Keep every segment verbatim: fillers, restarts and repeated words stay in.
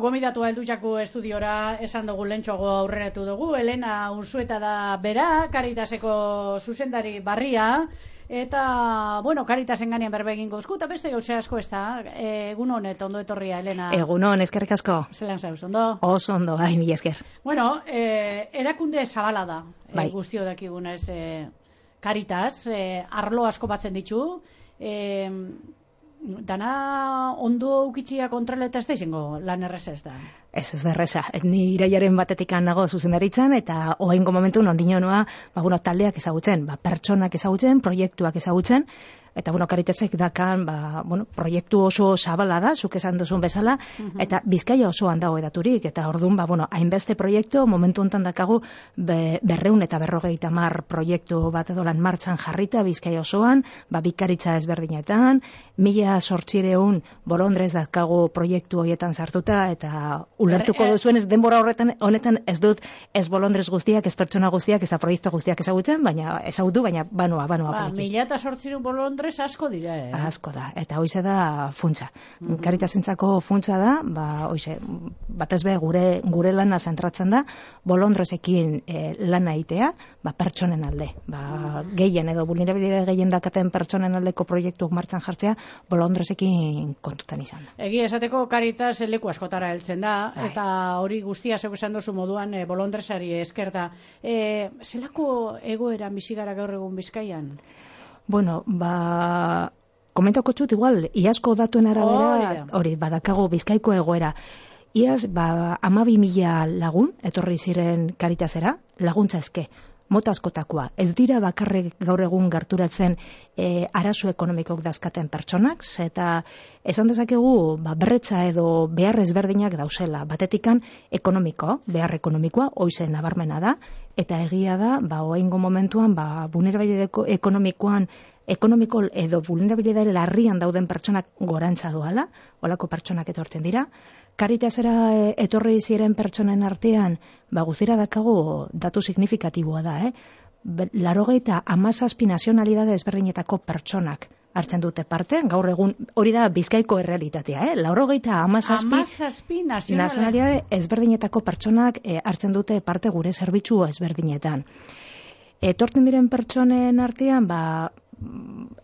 gomidatu heldu jaku estudiora esan dugu lentsuago aurreratu dugu. Elena Unzueta da bera, Caritaseko zuzendari barria. Eta, bueno, Caritasen ganean berbegin gozku, eta beste gauze asko ez da. Egun honet, ondo etorria, Elena. Egun hon, eskerrik asko. Zelan zauz, ondo? Oso ondo, bai, mila esker. Bueno, eh, erakunde zabala da, bai. eh, guztio dakigunez eh, Caritas, eh, arlo asko batzen ditu, eh, dana ondo ukitxia kontroleta ez da izango lan erreza ez da. Ez ez da erreza. Ni iraiaren batetik nago zuzendaritzan eta oraingo momentu ondino noa, ba bueno, taldeak ezagutzen, ba pertsonak ezagutzen, proiektuak ezagutzen. Eta, bueno, Caritasek dakan, ba, bueno, proiektu oso zabala da, zuk esan duzun bezala, uh-huh. eta Bizkaia osoan dago edaturik, eta orduan, ba, bueno, hainbeste proiektu, momentu hontan dakagu, be, berreun eta berrogeita mar proiektu bat edolan martxan jarrita, Bizkaia osoan, ba, bikaritza ezberdinetan, mila sortzireun bolondrez dakagu proiektu horietan sartuta, eta ulertuko duzuen ez denbora horretan, honetan ez dut, ez bolondrez guztiak, ez pertsona guztiak, ez da proiektu guztiak ezagutzen, baina ezagutu, baina banoa, banoa. Ba, mila eta sortzireun bolondrez asko dira, eh? Asko da, eta hoize da funtsa. Uh-huh. Caritasentzako funtsa da, ba, hoize, batez be gure gure lana zentratzen da, bolondresekin e, lana egitea, ba, pertsonen alde. Ba, uh-huh. Gehien edo vulnerabilitate gehien dakaten pertsonen aldeko proiektuak martxan jartzea, bolondresekin kontutan izan da. Egia esateko Caritas leku askotara heltzen da, Ai. Eta hori guztia zeu esan duzu moduan e, bolondresari esker da. E, zelako egoera bizigara gaur egun Bizkaian? Bueno, ba, komentako txut, igual, iazko datuen arabera, hori, badakago Bizkaiko egoera. Iaz, ba, amabi mila lagun, etorri ziren Caritasera, laguntza eske, mota askotakoa. Ez dira bakarrik gaur egun gerturatzen e, arazo ekonomikok dazkaten pertsonak, eta esan dezakegu, ba, berretza edo behar ezberdinak dauzela. Batetikan ekonomiko, behar ekonomikoa, hoize nabarmena da, eta egia da, ba, oaingo momentuan, ba, vulnerabilitate ekonomikoan, ekonomiko edo vulnerabilitate larrian dauden pertsonak gorantza doala, olako pertsonak etortzen dira. Caritasera etorri ziren pertsonen artean, ba, guztira dakago datu signifikatiboa da, eh? Larogeita hamazazpi nazionalidade ezberdinetako pertsonak hartzen dute parte, gaur egun hori da Bizkaiko errealitatea, eh? Larogeita hamazazpi nazionalidade ezberdinetako pertsonak eh, hartzen dute parte gure zerbitzu ezberdinetan. Etortzen diren pertsonen artean, ba,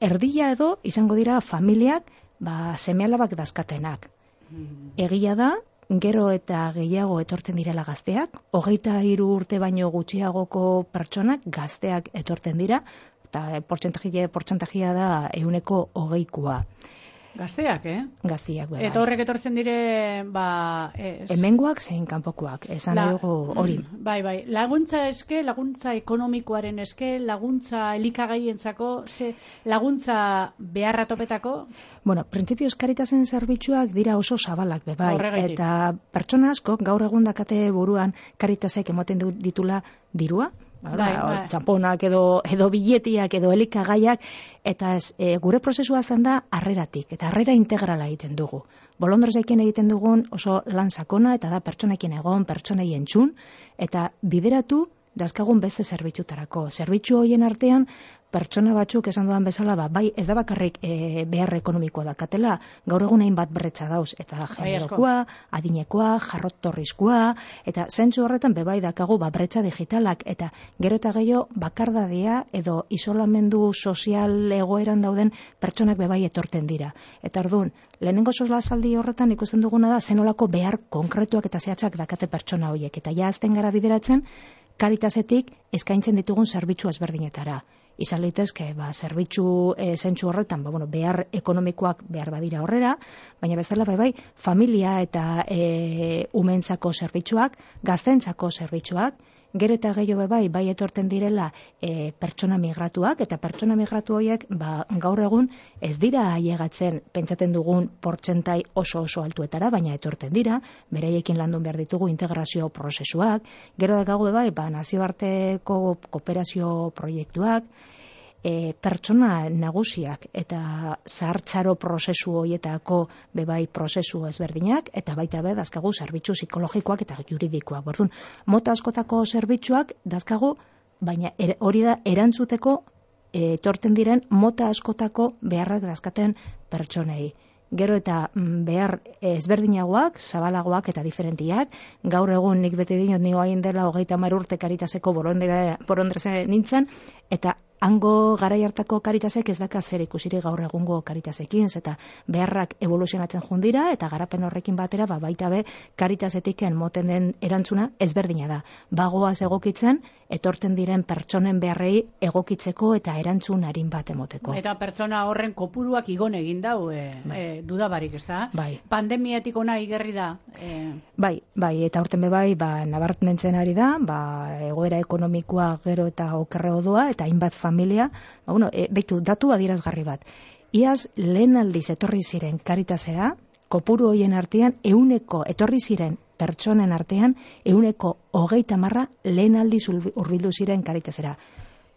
erdia edo izango dira familiak, ba, seme-alabak dazkatenak. Egia da, gero eta gehiago etortzen direla gazteak, hogeita hiru urte baino gutxiagoko pertsonak gazteak etortzen dira, eta portzentajia, portzentajia da ehuneko hogeikoa. Gazteak, eh? Gazteak, bai. Eta horrek etortzen dire, ba... Ez... Hemengoak zein kanpokoak, esan La... dugu hori. Bai, bai. Laguntza eske, laguntza ekonomikoaren eske, laguntza elikagaientzako, ze laguntza beharra topetako? Bueno, printzipioz Caritasen zerbitzuak dira oso zabalak, be, bai. Eta pertsona askok gaur egun dakate buruan Caritasek emoten ditula dirua, bai, bai. Txamponak edo, edo biletiak edo elikagaiak, eta ez, e, gure prozesua zen da harreratik, eta harrera integrala egiten dugu. Bolondresekin egiten dugun oso lan sakona, eta da pertsonekin egon, pertsonei entzun, eta bideratu dazkagun beste zerbitzutarako. Zerbitzu horien artean, pertsona batzuk esan dudan bezala, ba, bai ez da bakarrik e, behar ekonomikoa dakatela, gaur egun hainbat berretza dauz, eta generokoa, adinekoa, jarrottorrizkoa, eta zentzu horretan bebai dakagu ba, berretza digitalak, eta gero eta gehiago bakardadea edo isolamendu sozial egoeran dauden pertsonak bebai etorten dira. Eta orduan, lehenengo solasaldi horretan ikusten duguna da zenolako behar konkretuak eta zehatzak dakate pertsona horiek, eta ja azten gara bideratzen, Caritasetik eskaintzen ditugun zerbitzu ezberdinetara. Izan litezke, ba, zerbitzu e, zentzu horretan, ba, bueno, behar ekonomikoak behar badira horrera, baina bezala bai, bai, familia eta e, umentzako zerbitzuak, gaztentzako zerbitzuak, gero eta gehiago bai, bai etorten direla e, pertsona migratuak, eta pertsona migratu horiek ba, gaur egun ez dira ailegatzen pentsaten dugun portzentai oso oso altuetara, baina etorten dira, beraiekin landun behar ditugu integrazio prozesuak, gero da gago bai, ba, nazioarteko kooperazio proiektuak, E, pertsona nagusiak eta zahartzaro prozesu horietako bebai prozesu ezberdinak, eta baita be dazkagu zerbitzu psikologikoak eta juridikoak. Bordun, mota askotako zerbitzuak dazkagu, baina er, hori da erantzuteko etorten diren mota askotako beharrak dazkaten pertsonei. gero eta behar ezberdinagoak, zabalagoak eta diferentiak. Gaur egun nik bete dinot nio hain dela hogeita hamar urte Karitaseko borondreze nintzen, eta hango garai hartako Karitasek ez daka zer ikusiri gaur egungo Karitasekin, eta beharrak evoluzionatzen jundira, eta garapen horrekin batera, ba, baita be, Karitasetiken moten den erantzuna ezberdina da. Bagoaz egokitzen, etorten diren pertsonen beharrei egokitzeko eta erantzun arin bat emoteko. Eta pertsona horren kopuruak igon egin dau, e, bai. e, dudabarik, ez da? Bai. Pandemiatik ona igerri da. E... Bai, bai, eta horten be bai, ba, nabarmentzen ari da, ba, egoera ekonomikoa gero eta okerrego doa, eta hainbat familia, ba, bueno, e, beitu, datu adierazgarri bat. Iaz, lehen aldiz etorri ziren Karitasera, kopuru hoien artean, euneko etorri ziren pertsonen artean, euneko hogeita marra lehen aldiz hurbildu ziren Karitasera.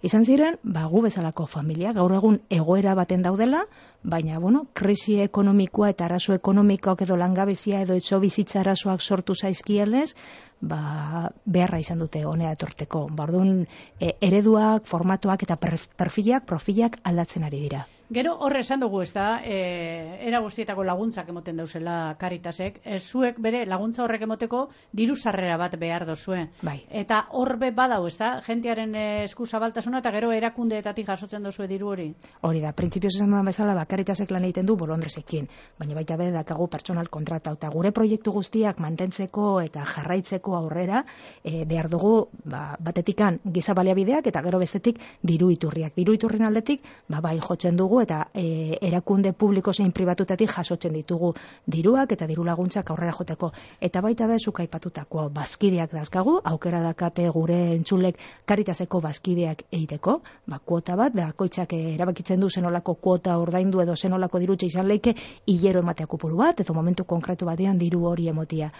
Izan ziren, ba, gu bezalako familia, gaur egun egoera baten daudela, baina, bueno, krisi ekonomikoa eta arazo ekonomikoak edo langabezia edo etxo bizitza arazoak sortu zaizkielez, ba, beharra izan dute honera etorteko. Bordun, e, ereduak, formatuak eta perfilak, profilak aldatzen ari dira. Gero horre esan dugu, ez da, e, era guztietako laguntzak emoten dauzela Karitasek, e, zuek bere laguntza horrek emoteko diru sarrera bat behar dozue. Bai. Eta horbe badau, ez da, jentearen esku zabaltasuna eta gero erakundeetatik jasotzen dozue diru hori. Hori da, printzipioz esan dudan bezala, ba, Karitasek lan egiten du bolondrezekin, baina baita be dakagu pertsonal kontrata, eta gure proiektu guztiak mantentzeko eta jarraitzeko aurrera, e, behar dugu, ba, batetikan giza baliabideak eta gero bestetik diru iturriak. Diru iturrien aldetik, ba, bai jotzen dugu eta e, erakunde publiko zein pribatutatik jasotzen ditugu diruak eta diru laguntzak aurrera joteko. Eta baita bezuk aipatutako bazkideak dazkagu, aukera dakate gure entzulek Karitaseko bazkideak egiteko, ba, kuota bat, bakoitzak erabakitzen du zenolako kuota ordaindu edo zenolako dirutxe izan leike hilero ematea kopuru bat, edo momentu konkretu batean diru hori emotia.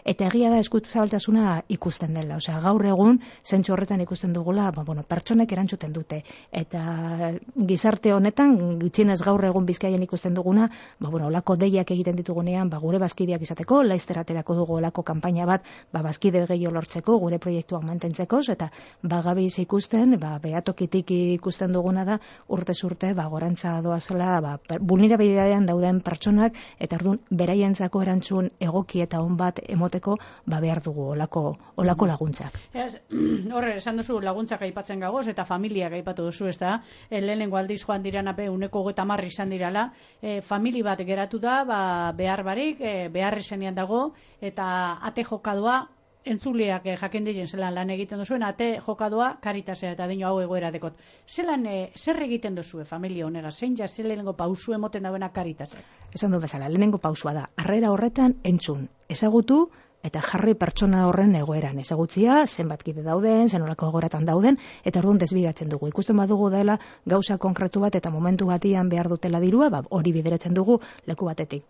Eta egia da eskut zabaltasuna ikusten dela, osea, gaur egun zentzu horretan ikusten dugula, ba, bueno, pertsonek erantzuten dute, eta gizarte honetan gutxienez gaur egun Bizkaian ikusten duguna, ba, bueno, olako deiak egiten ditugunean, ba, gure bazkideak izateko, laizter aterako dugu olako kanpaina bat, ba, bazkide gehiago lortzeko, gure proiektuak mantentzeko, eta ba, gabiz ikusten, ba, behatokitik ikusten duguna da, urtez urte, ba, gorantza doazela, ba, vulnerabilidadean dauden pertsonak, eta orduan, beraientzako erantzun egoki eta on bat emoteko, ba, behar dugu olako, olako laguntzak. Horre, esan duzu laguntzak aipatzen gagoz, eta familiak aipatu duzu, ez da, lehenengo aldiz joan diran ape uneko gota marri izan dirala, e, famili bat geratu da, ba, behar barik, e, behar izenean dago, eta ate jokadoa, entzuleak e, jakin dizen zelan lan egiten duzuen, ate jokadoa Karitasera eta dino hau egoera dekot. Zelan, e, zer egiten duzue familia honega, zein ja zer lehenengo pausu emoten dauena Karitasek? Esan du bezala, lehenengo pausua da, harrera horretan entzun, ezagutu, eta jarri pertsona horren egoeran ezagutzia, zenbat kide dauden, zenolako egoeratan dauden, eta orduan desbideratzen dugu. Ikusten badugu dela gauza konkretu bat eta momentu batian behar dutela dirua, ba, hori bideratzen dugu leku batetik.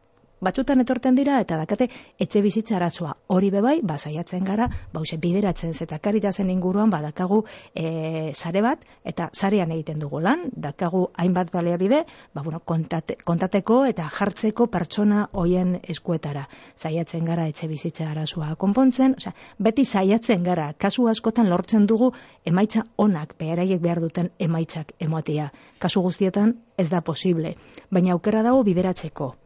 Batzutan etorten dira eta dakate etxe bizitza arazoa. Hori bebai, ba, saiatzen gara, bause bideratzen zeta Karitasen inguruan, ba, dakagu e, sare bat, eta sarean egiten dugu lan, dakagu hainbat baliabide, ba, bueno, kontate, kontateko eta jartzeko pertsona hoien eskuetara. Saiatzen gara etxe bizitza arazoa konpontzen, osea, beti saiatzen gara, kasu askotan lortzen dugu emaitza onak, beharaiek behar duten emaitzak emotia. Kasu guztietan ez da posible, baina aukera dago bideratzeko.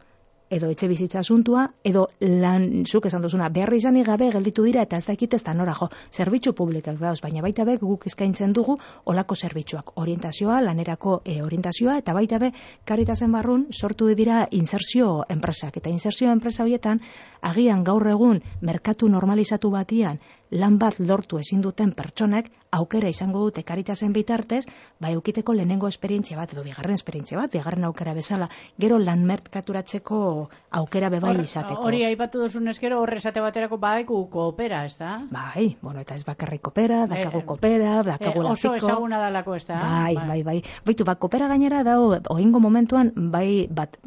Edo etxe bizitza asuntua, edo lan, zuk esan duzuna, behar izanik gabe gelditu dira eta ez dakit ez da nora jo, zerbitzu publikak dauz, baina baita be guk eskaintzen dugu olako zerbitzuak, orientazioa, lanerako e, orientazioa, eta baita be Karitasen barrun sortu dira insertzio enpresak, eta insertzio enpresa horietan, agian gaur egun merkatu normalizatu batian, lan bat lortu ezin duten pertsonek aukera izango dute Karitasen bitartez, ba eukiteko lehenengo esperientzia bat edo bigarren esperientzia bat, bigarren aukera bezala, gero lan merkaturatzeko aukera bebai izateko. Hori aipatu duzun eskero horre esate baterako baiku koopera, ez da? Bai, bueno, eta ez bakarrik kopera, dakagu kopera, dakagu e, oso ezaguna dalako, ez da? Bai, bai, bai. Baitu, ba, kopera gainera dao, oingo momentuan, bai, bat,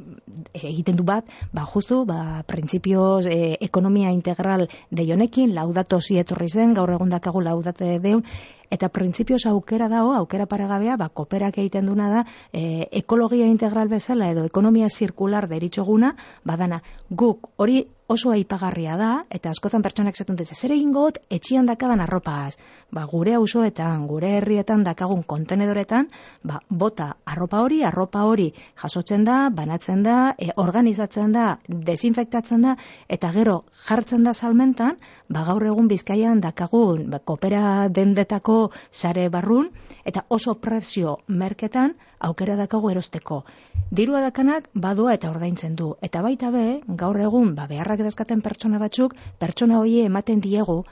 egiten du bat, ba, justu, ba, printzipioz, e, ekonomia integral deionekin, laudato zietorri zen, gaur egun dakagu laudate deun, eta printzipioz aukera dago, aukera paregabea, ba, koperak egiten duna da, e, ekologia integral bezala edo ekonomia zirkular deritxoguna, badana, guk hori oso aipagarria da, eta askotan pertsonak zetun dut, zer egingo got, etxian dakadan arropaz, ba, gure auzoetan, gure herrietan dakagun kontenedoretan, ba, bota arropa hori, arropa hori jasotzen da, banatzen da, e, organizatzen da, desinfektatzen da, eta gero jartzen da salmentan, ba, gaur egun Bizkaian dakagun, ba, kopera dendetako sare barrun, eta oso prezio merketan aukera dakagu erosteko. Dirua dakanak badua eta ordaintzen du. Eta baita be, gaur egun, ba, beharrak dazkaten pertsona batzuk, pertsona hori ematen diegu,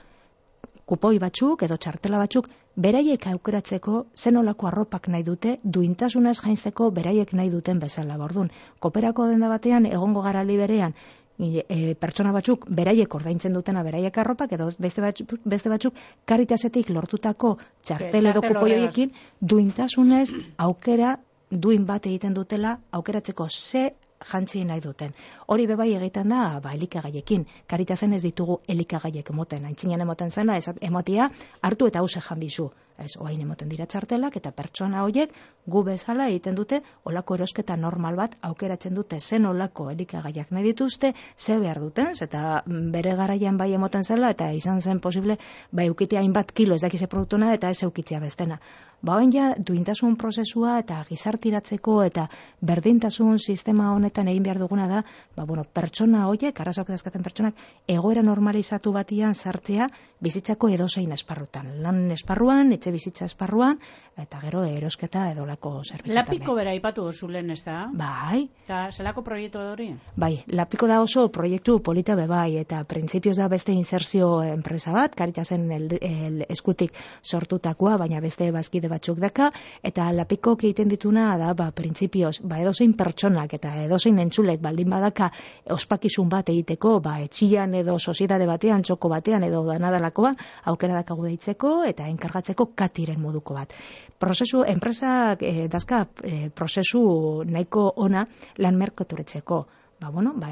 kupoi batzuk edo txartela batzuk, beraiek aukeratzeko zenolako arropak nahi dute, duintasunez jainzteko beraiek nahi duten bezala. Bordun, koperako denda batean, egongo gara liberean, E, pertsona batzuk beraiek ordaintzen dutena beraiek arropak edo beste batzuk, beste batzuk Karitasetik lortutako txartel edo kupoioekin duintasunez aukera duin bat egiten dutela aukeratzeko ze jantzi nahi duten. Hori bebai egiten da, ba, elikagaiekin. Karitasen ez ditugu elikagaiek emoten. Aintzinean emoten zena, ez emotia hartu eta hause janbizu. Ez, oain emoten dira txartelak eta pertsona horiek gu bezala egiten dute olako erosketa normal bat aukeratzen dute zen olako elikagaiak nahi dituzte, ze behar duten, eta bere garaian bai emoten zela eta izan zen posible bai eukitea hainbat kilo ez dakize produktuna eta ez eukitzea bestena. Ba, oin ja, duintasun prozesua eta gizartiratzeko eta berdintasun sistema honetan egin behar duguna da, ba, bueno, pertsona horiek, arazoak dazkaten pertsonak, egoera normalizatu batian sartzea bizitzako edozein esparrutan. Lan esparruan, etxe bizitza esparruan, eta gero erosketa edolako zerbitzutan. Lapiko bera ipatu zulen, ez da? Bai. Eta zelako proiektu hori? Bai, Lapiko da oso proiektu polita bebai, eta printzipioz da beste inserzio enpresa bat, Karitasen el, el eskutik sortutakoa, baina beste bazkide batzuk daka, eta Lapiko egiten dituna da, ba, printzipioz, ba, edozein pertsonak eta edozein entzulek baldin badaka ospakizun bat egiteko, ba, etxian edo soziedade batean, txoko batean edo danadalakoa, aukera dakagu deitzeko eta enkargatzeko katiren moduko bat. Prozesu, enpresak eh, dazka eh, prozesu nahiko ona lan merkaturetzeko. Ba, bueno, ba,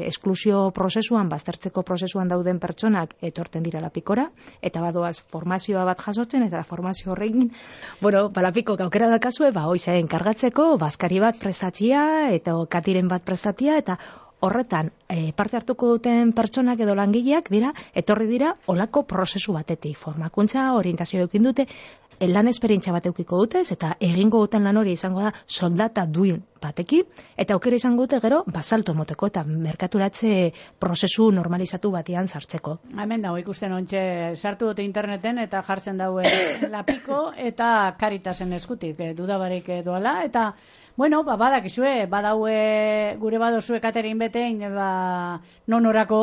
esklusio prozesuan, baztertzeko prozesuan dauden pertsonak etorten dira Lapikora, eta badoaz formazioa bat jasotzen, eta formazio horrekin, bueno, ba, Lapiko aukera dakazue, ba, hoize enkargatzeko, bazkari bat prestatzia, eta katiren bat prestatzia, eta horretan e, parte hartuko duten pertsonak edo langileak dira, etorri dira olako prozesu batetik. Formakuntza, orientazio eukin dute, lan esperientzia bat eukiko dutez, eta egingo duten lan hori izango da soldata duin batekin, eta aukera izango dute gero, basalto moteko eta merkaturatze prozesu normalizatu batean sartzeko. Hemen dago ikusten ontxe, sartu dute interneten eta jartzen daue Lapiko eta Karitasen eskutik, eh, dudabarik doala, eta bueno, ba, badakizue, badaue gure badozue katerin betein, ba, non orako,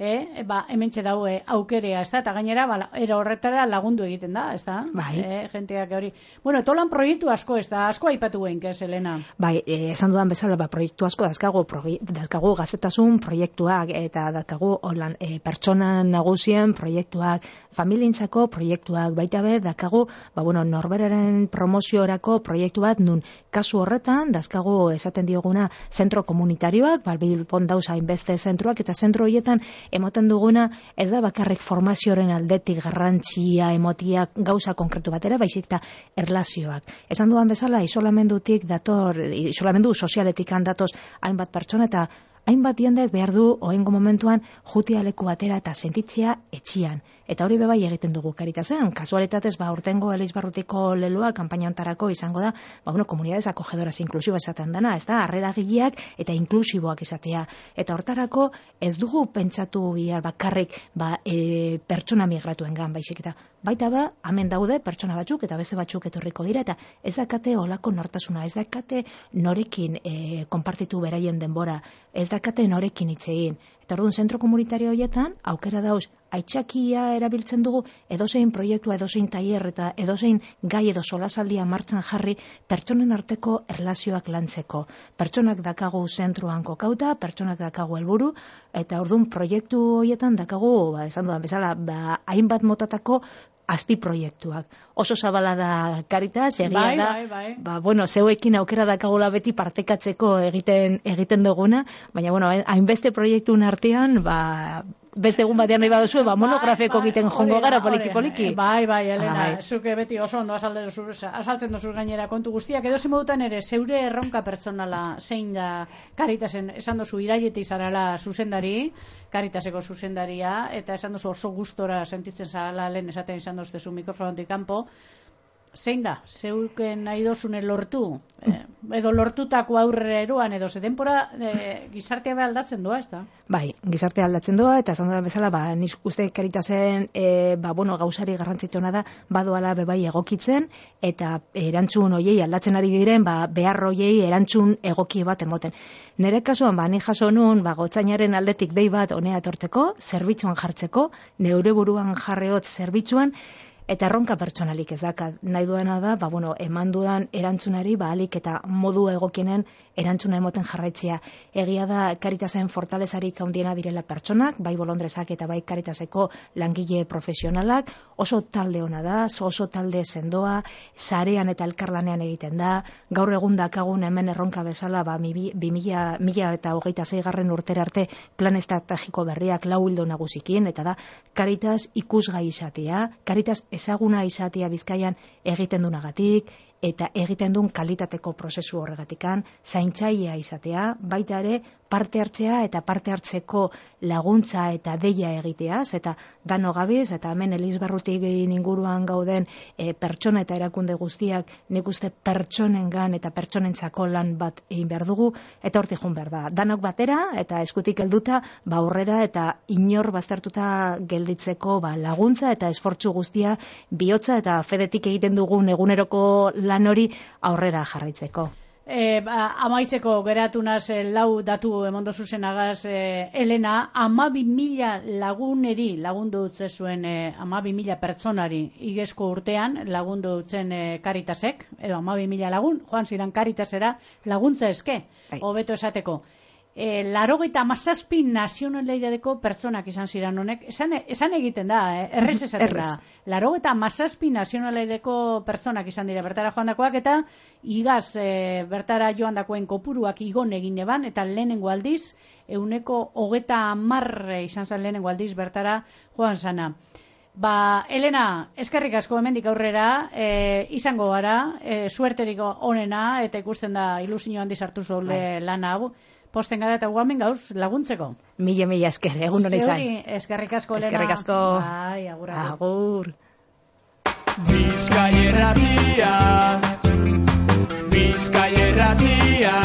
eh, ba, hementxe daue aukerea, ez da, eta gainera, ba, era horretara lagundu egiten da, ez da? Bai. Eh, jenteak hori. Bueno, tolan proiektu asko, ez da, asko aipatu guen, ez, Elena? Bai, eh, esan dudan bezala, ba, proiektu asko dazkagu, dazkagu gaztetasun proiektuak, eta dazkagu holan, eh, pertsona nagusien proiektuak, familientzako proiektuak, baita be, dazkagu, ba, bueno, norberaren promoziorako proiektu bat, nun, kasu horretan, dazkagu esaten dioguna zentro komunitarioak, balbilpon dauz hainbeste zentroak, eta zentro horietan emoten duguna, ez da bakarrik formazioaren aldetik garrantzia emotiak gauza konkretu batera, baizik eta erlazioak. Esan dudan bezala, isolamendutik dator, isolamendu sozialetik handatoz hainbat pertsona, eta hainbat jendek behar du oengo momentuan jutia leku batera eta sentitzea etxian. Eta hori bebai egiten dugu Karitasen. Kasualitatez, ba, urtengo Elizbarrutiko leloa kanpaina hontarako izango da, ba, bueno, komunidades acogedoras inklusibo esaten dana, ez da, harreragileak eta inklusiboak izatea. Eta hortarako ez dugu pentsatu bihar bakarrik, ba, e, pertsona migratuen gan, baizik eta baita ba, hemen daude pertsona batzuk eta beste batzuk etorriko dira, eta ez dakate olako nortasuna, ez dakate norekin e, konpartitu beraien denbora, ez dakate norekin hitz egin. Eta orduan, zentro komunitario horietan, aukera dauz, aitzakia erabiltzen dugu edozein proiektua, edozein tailer eta edozein gai edo solasaldia martxan jarri pertsonen arteko erlazioak lantzeko. Pertsonak dakagu zentruan kokauta, pertsonak dakagu helburu, eta orduan proiektu horietan dakagu, ba, esan dudan bezala, ba, hainbat motatako azpi proiektuak. Oso zabala da Karitas, egia bai, da, bai, bai. Ba, bueno, zeuekin aukera dakagula beti partekatzeko egiten egiten duguna, baina, bueno, hainbeste proiektuen artean, ba, beste egun batean nahi baduzu, ba, monografeko egiten jongo gara poliki-poliki. Bai, bai, Elena, zuke beti oso ondo azaltzen duzuz gainera kontu guztiak, edo modutan ere, zeure erronka pertsonala zein da Caritasen, esan duzu irailetik zarala zuzendari, Caritaseko zuzendaria, eta esan duzu oso gustora sentitzen zarala lehen esaten izan duzu mikrofonotik kanpo, zein da, zeuken nahi dozune lortu, eh, edo lortutako aurrera eroan, edo ze denpora eh, gizartea be aldatzen doa, ez da? Bai, gizartea aldatzen doa, eta esan da bezala, ba, nik uste Caritasen, e, ba, bueno, gauzari garrantzituna da, badoala bebai egokitzen, eta erantzun hoiei aldatzen ari diren, ba, behar hoiei erantzun egoki bat emoten. Nere kasuan, ba, ni jaso nun, ba, gotzainaren aldetik dei bat honea etortzeko, zerbitzuan jartzeko, neure buruan jarreot zerbitzuan, eta erronka pertsonalik ez daka. Nahi duena da, ba, bueno, eman dudan erantzunari, ba, alik eta modu egokienen erantzuna emoten jarraitzea. Egia da, Caritasen fortalezarik handiena direla pertsonak, bai bolondrezak eta bai Caritaseko langile profesionalak, oso talde ona da, oso talde sendoa, sarean eta elkarlanean egiten da, gaur egun dakagun hemen erronka bezala, ba, bi mila eta hogeita zeigarren urtera arte plan estrategiko berriak lau ildo nagusikin, eta da, Caritas ikusgai izatea, Caritas ezaguna izatea Bizkaian egiten dunagatik, eta egiten duen kalitateko prozesu horregatikan, zaintzailea izatea, baita ere parte hartzea eta parte hartzeko laguntza eta deia egiteaz, eta dano gabiz, eta hemen Elizbarrutik inguruan gauden e, pertsona eta erakunde guztiak nik uste pertsonengan eta pertsonentzako lan bat egin behar dugu, eta hortik joan behar da. Danok batera, eta eskutik helduta, ba aurrera eta inor baztertuta gelditzeko ba, laguntza eta esfortzu guztia bihotza eta fedetik egiten dugun eguneroko lan hori aurrera jarraitzeko. E, ba, amaitzeko geratu naz e, lau datu emondo zuzenagaz, e, Elena, amabi mila laguneri lagundu dutze zuen, e, amabi mila pertsonari igezko urtean lagundu dutzen e, Caritasek, edo amabi mila lagun, joan ziren Caritasera laguntza eske, hobeto esateko. E, larogeita amazazpi nazionalidadeko pertsonak izan ziren honek, esan, esan egiten da, eh? errez esaten da. Larogeita amazazpi nazionalidadeko pertsonak izan dira bertara joan dakoak, eta igaz e, bertara joan dakoen kopuruak igon egin eban, eta lehenengo aldiz, euneko hogeta amar izan zen lehenengo aldiz bertara joan zana. Ba, Elena, eskerrik asko hemendik aurrera, e, izango gara, e, suerterik onena, eta ikusten da ilusio handi sartu zole lan hau, posten gara eta guamen gauz laguntzeko. Mila, mila esker, egun hori zain. Zeuri, eskerrik asko, Elena. Eskerrik asko. Bai, agur. Agur. Bizkai erratia, Bizkai erratia.